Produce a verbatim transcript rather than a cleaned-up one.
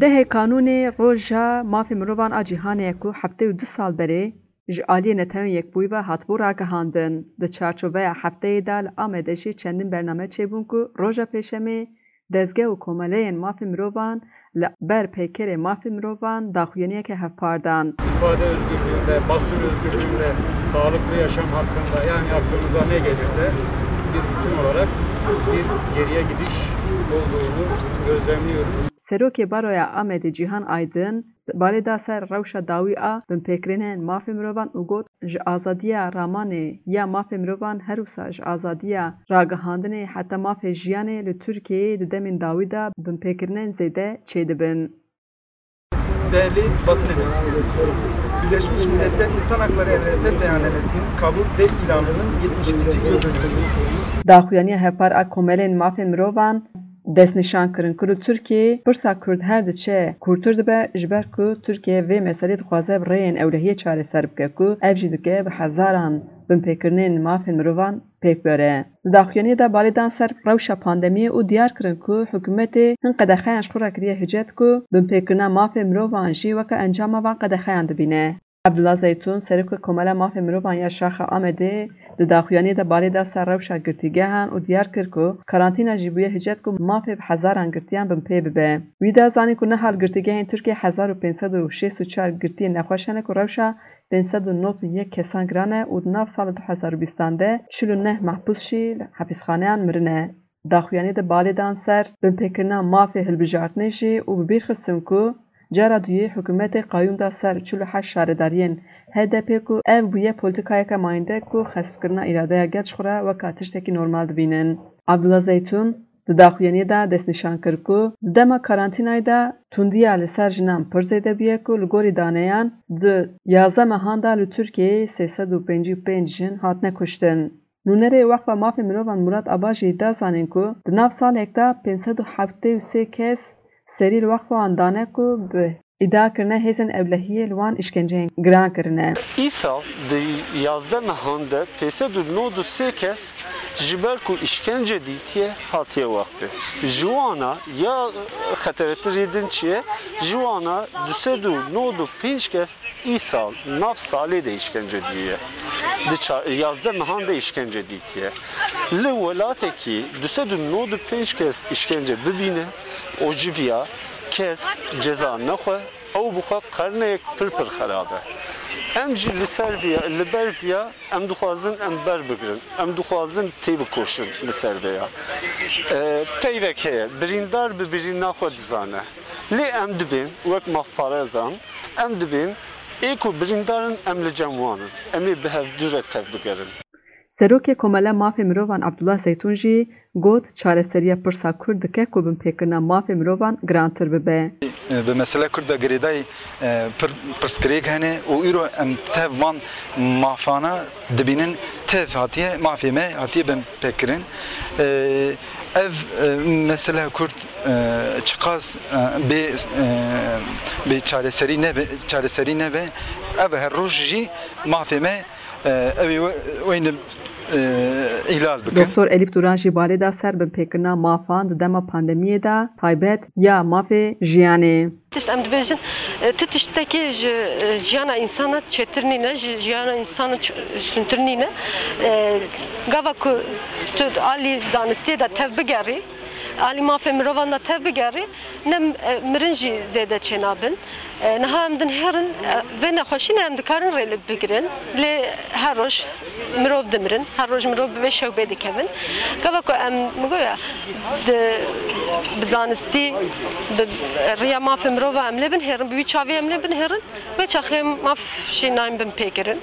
Dehê Kanûnê Roja Mafê Mirovan a Cîhanê ye ku heftê û du sal berê ji aliyê Netewên Yekbûyî ve hatibû ragihandin. Di çarçoveya hefteyê de li Amedê jî çendin bername çêbûn ku roja Pêşemê dezge û komeleyên mafê mirovan li ber peykerê mafê mirovan daxuyaniyeke hevpar dan. İfade özgürlüğünde, basın özgürlüğünde, sağlıklı yaşam hakkında, yani aklınıza ne gelirse bir bütün olarak bir geriye gidiş olduğunu gözlemliyoruz. Serokê Baroya Amedê Cîhan Aydin balê da ser rewşa dawî a binpêkirinên mafê mirovan û got, ji azadiya ramanê ya mafê mirovan her wisa ji azadiya ragihandinê heta mafê jiyanê li Tirkiyeyê di demên dawî de binpêkirinên zêde çêdibin. Değerli basın emekçileri, Birleşmiş Milletler İnsan Hakları Evrensel Beyannamesi'nin kabul ve ilanının yetmiş ikinci yıl dönümündeyiz. Daxuyaniya hevpar a komelên mafên mirovan destnîşan kirin ku li Tirkiyeyê pirsa Kurd her diçe kûrtir dibe, ji ber ku Tirkiye vê meselê dixwaze bi rêyên ewlehiyê çareser bike ku ev jî dike bi hezaran binpêkirinên mafên mirovan pêk bere. Di daxuyaniyê de balê dan ser rewşa pandemiyê û diyar kirin ku hikûmetê hin qedexeyan ji xwe re kiriye hicet ku binpêkirina mafê mirovan jî weke encama van qedexeyan dibîne. Abdullah Zeytun, Serokê Komela Mafê Mirovan ya Şaxa Amedê, di daxuyaniyê de balê da ser rewşa girtîgehan û diyar kir ku karantîna jî bûye hicet ku mafê bi hezaran girtiyan binpê bibe. Wî da zanîn ku niha li girtîgehên Tirkiyê hezar û pênc sed û şêst û çar girtiyên nexweş hene ku rewşa pênc sed û nod û yek kesan giran e û di nav sala du hezar û bîstan de çil û neh mehbûs jî li hepîsxaneyan mirine. Daxuyaniyê de balê dan ser binpêkirina mafê hilbijartinê jî û bi bîr xistin ku cara duyê hikûmetê qayûm da ser çil û heşt şaredariyên H D P ku ev bûye polîtîkayeke mayînde ku xespkirina îradeya gel ji xwe re weka tiştekî normal dibînin. Abdullah Zeytun di daxuyaniyê de destnîşan kir ku di dema karantînayê de tundiya li ser jinan pir zêde bûye ku li gorî daneyan di yazdeh mehan de li Tirkiyeyê sê sed û pêncî û pênc jin hatine kuştin. Nûnerê Weqfa Mafê Mirovan Murat Aba jî da zanîn ku di nav salek de pênc sed û heftê û sê kes serî li weqfa wan dane ku bi îdia kirine hêzên ewlehiyê li wan îşkenceyên giran kirine. Îsal di yazdeh mehan de pênc sed û nod û sê kes ji ber ku îşkence dîtiye hatiye weqfê. Ji wana ya xeteretirî din çi ye? Ji wana du sed û nod û pênc kes Îsal nav salê de îşkence diye. Di ça-, yazdeh mehan de îşkence dîtiye. Li welatekî du sed û nod û pênc kes îşkence bibîne û ji viya kes ceza nexwe, ew bi xwe qerneyek pir pir xerab e. Em jî li ser viya, li ber viya em dixwazin em ber bigirin. Em dixwazin têbikoşin li ser vêya. E, peyvek heye, birîndar bi birîna xwe dizane. Lê em dibên wek mafparezan, em dibên ê ku birîndar in, em li cem wan in. Em ê bi hevdû re tev bigerin. Serokê Komela Mafê Mirovan Abdullah Zeytun jî got, çareseriya pirsa Kurd dike ku binpêkirina mafê mirovan girantir bibe. Bi mesele Kurd ve girêdayî, e, pir, pirsgirêk hene û îro em tev van mafana dibînin, tev hatiye, mafê me hatiye binpêkirin. E, ev, e, mesele Kurd, e, çiqas, e, bê, e, bê çareserî nebe, çareserî nebe, ev her roj jî mafê me, e, ew ê we-, weyne, e, îhlal bikin. Doktor Elîf Duran jî balê da ser binpêkirina mafan di dema pandemiyê de, taybet ya mafê jiyanê. Tişt em dibêjin, e, tu tiştekî ji, e, jiyana însana çêtir nîne, ji jiyana însana ç-, sûntir nîne. E, gava ku tu alî zanistiyê de tev bigerî, alî mafê mirovan de tev bigerî, ne, e, mirin jî zêde çênabin. E, niha em dinihêrin, e, vê nexweşî ne em dikarin rê li bigirin, lê her roj mirov dimirin, her roj mirov bi vê şewbê dikevin. Gava ku em, min goya, di, bi zanistî, bi riya mafê mirova em lê binihêrin, bi wî çavê em lê binihêrin, wê çaxê maf jî nayên binpêkirin.